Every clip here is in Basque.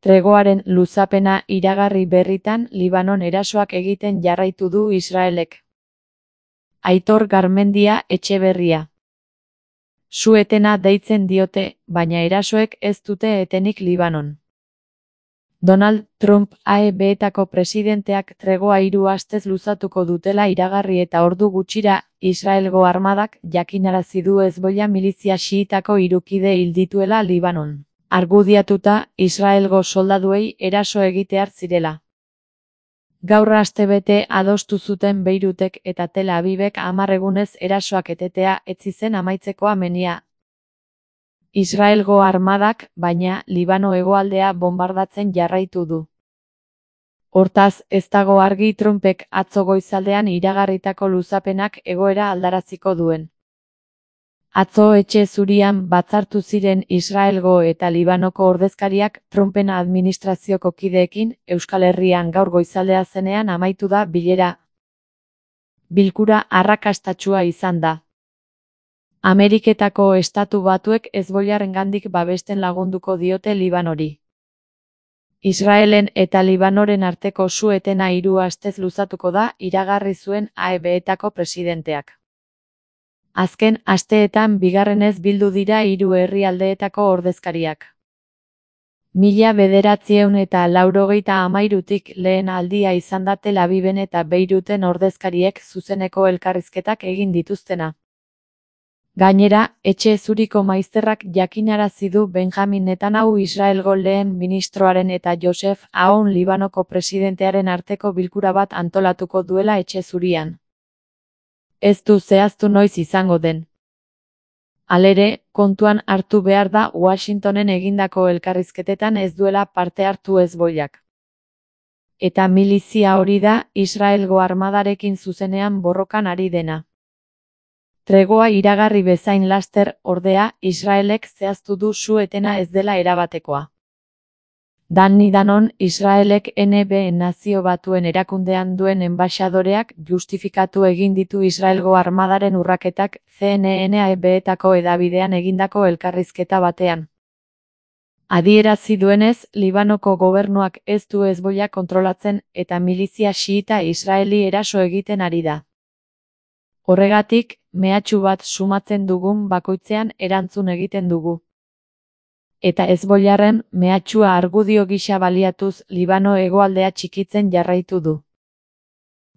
Tregoaren luzapena iragarri berritan Libanon erasoak egiten jarraitu du Israelek. Aitor Garmendia Etxeberria. Su-etena deitzen diote, baina erasoek ez dute etenik Libanon. Donald Trump AEB-etako presidenteak tregoa 3 astez luzatuko dutela iragarri eta ordu gutxira Israelgo armadak jakinarazi du Hezbollah milizia xiitako 3 kide hil dituela Libanon. Argudiatuta, Israelgo soldaduei eraso egitear zirela. Gaur astebete adostu zuten Beirutek eta Tel Avivek 10 egunez erasoak etetea etzi zen amaitzeko amenia. Israelgo armadak, baina, Libano hegoaldea bonbardatzen jarraitu du. Hortaz, ez dago argi Trumpek atzo goizaldean iragarritako luzapenak egoera aldaraziko duen. Atzo Etxe Zurian batzartu ziren Israelgo eta Libanoko ordezkariak Trumpen administrazioko kideekin Euskal Herrian gaur goizaldea zenean amaitu da bilera. Bilkura arrakastatsua izan da. Ameriketako Estatu Batuek Hezbollarengandik babesten lagunduko diote Libanori. Israelen eta Libanoren arteko su-etena 3 astez luzatuko da iragarri zuen AEB-etako presidenteak. Azken asteetan bigarrenez bildu dira 3 herrialdeetako ordezkariak. 1993tik lehen aldia izan da Tel Aviven eta Beiruten ordezkariek zuzeneko elkarrizketak egin dituztena. Gainera, Etxe Zuriko maizterrak jakinarazi du Benjamin Netanyahu Israelgo lehen ministroaren eta Joseph Aoun Libanoko presidentearen arteko bilkura bat antolatuko duela Etxe Zurian. Ez du zehaztu noiz izango den. Halere, kontuan hartu behar da Washingtonen egindako elkarrizketetan ez duela parte hartu Hezbollak. Eta milizia hori da Israelgo armadarekin zuzenean borrokan ari dena. Tregoa iragarri bezain laster, ordea, Israelek zehaztu du su-etena ez dela erabatekoa. Dani Danon, Israelek NB Nazio Batuen erakundean duen enbaxadoreak justifikatu egin ditu Israelgo armadaren urraketak CNN-AEB-etako hedabidean egindako elkarrizketa batean. Adierazi duenez, Libanoko gobernuak ez du Hezbollah kontrolatzen eta milizia xiita Israeli eraso egiten ari da. Horregatik, mehatxu bat sumatzen dugun bakoitzean erantzun egiten dugu. Eta Hezbollarren mehatxua argudio gisa baliatuz Libano hegoaldea txikitzen jarraitu du.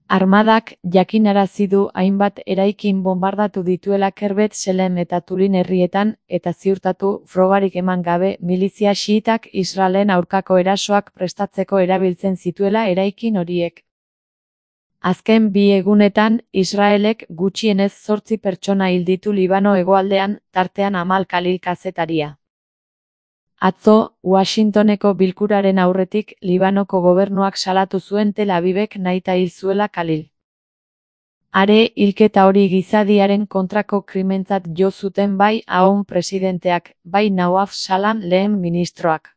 Armadak jakinarazi du hainbat eraikin bonbardatu dituela Kerbet Selem eta Tulin herrietan eta ziurtatu frogarik eman gabe milizia xiitak Israelen aurkako erasoak prestatzeko erabiltzen zituela eraikin horiek. Azken 2 egunetan, Israelek gutxienez 8 pertsona hil ditu Libano hegoaldean, tartean Amal Khalil kazetaria. Atzo, Washingtoneko bilkuraren aurretik Libanoko gobernuak salatu zuen Tel Avivek nahita hil zuela Khalil. Are, hilketa hori gizadiaren kontrako krimentzat jo zuten bai Aoun presidenteak, bai Nawaf Salam lehen ministroak.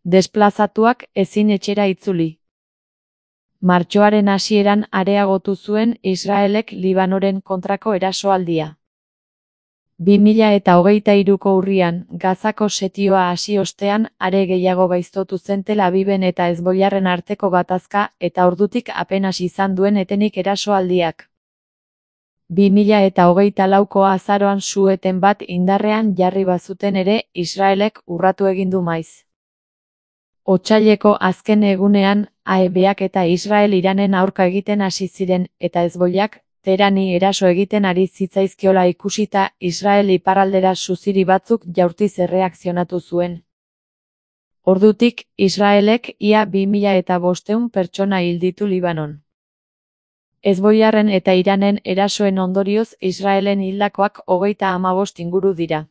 Desplazatuak ezin etxera itzuli. Martxoaren hasieran areagotu zuen Israelek Libanoren kontrako erasoaldia. 2023ko urrian, Gazako setioa hasi ostean, are gehiago gaiztotu zen Tel Aviven eta Hezbollarren arteko gatazka eta ordutik apenas izan duen etenik erasoaldiak. 2024ko azaroan su-eten bat indarrean jarri bazuten ere, Israelek urratu egin du maiz. Otsaileko azken egunean, AEBak eta Israel Iranen aurka egiten hasi ziren, eta Hezbollak, Teherani eraso egiten ari zitzaizkiola ikusita, Israel iparraldera suziri batzuk jaurtiz erreakzionatu zuen. Ordutik, Israelek ia 2500 pertsona hil ditu Libanon. Hezbollarren eta Iranen erasoen ondorioz Israelen hildakoak 35 inguru dira.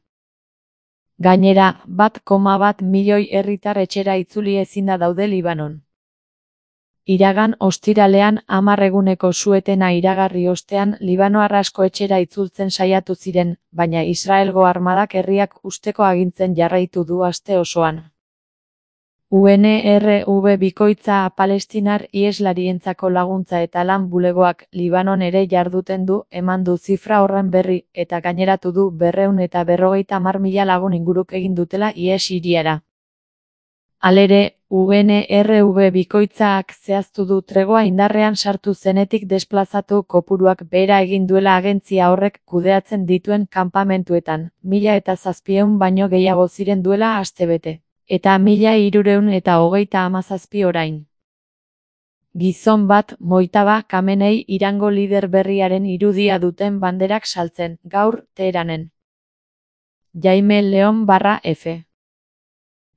Gainera, 1,1 milioi herritar etxera itzuli ezinda daude Libanon. Iragan ostiralean 10 eguneko su-etena iragarri ostean Libanoar asko etxera itzultzen saiatu ziren, baina Israelgo armadak herriak husteko agintzen jarraitu du aste osoan. UNRW bikoitza palestinar iheslarientzako laguntza eta lan bulegoak Libanon ere jarduten du, eman du zifra horren berri, eta gaineratu du 250.000 lagun inguruk egin dutela ihes hiriara. Halere, UNRW bikoitzak zehaztu du tregoa indarrean sartu zenetik desplazatu kopuruak behera egin duela agentzia horrek kudeatzen dituen kanpamentuetan, 1700 baino gehiago ziren duela astebete, eta 1337 orain. Gizon bat, Mojtaba Khamenei Irango lider berriaren irudia duten banderak saltzen, gaur, Teheranen. Jaime Leon /F.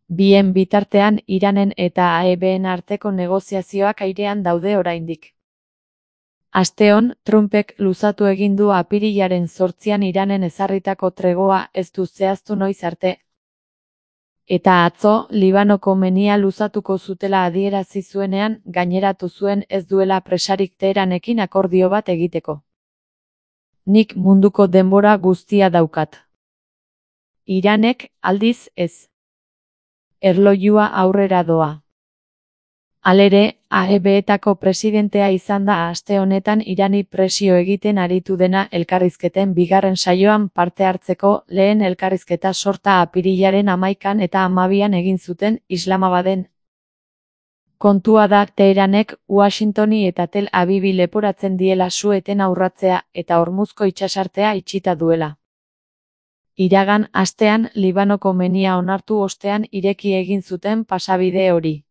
Bien bitartean Iranen eta AEBen arteko negoziazioak airean daude oraindik. Asteon, Trumpek luzatu egin du apirilaren 8an Iranen ezarritako tregoa ez du zehaztu noiz arte. Eta atzo, Libanoko menia luzatuko zutela adierazi zuenean, gaineratu zuen ez duela presarik Teheranekin akordio bat egiteko. Nik munduko denbora guztia daukat. Iranek, aldiz, ez. Erlojua aurrera doa. Halere, AEBetako presidentea izan da aste honetan Irani presio egiten aritu dena elkarrizketen bigarren saioan parte hartzeko, lehen elkarrizketa sorta apirilaren 11an eta 12an egin zuten Islamabaden. Kontua da Teheranek Washingtoni eta Tel Avivi leporatzen diela su-etena urratzea eta Hormuzko itsasartea itxita duela. Iragan astean Libanoko menia onartu ostean ireki egin zuten pasabide hori.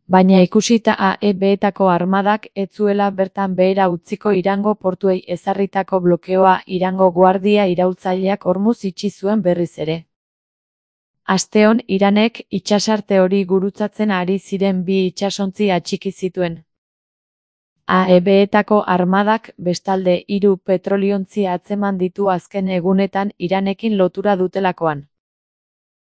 Baina ikusita AEBetako armadak ez zuela bertan behera utziko Irango portuei ezarritako blokeoa Irango guardia iraultzaileak Hormuz itxi zuen berriz ere. Asteon Iranek itsasarte hori gurutzatzen ari ziren bi itsasontzi atxiki zituen. AEBetako armadak bestalde 3 petroliontzi atzeman ditu azken egunetan Iranekin lotura dutelakoan.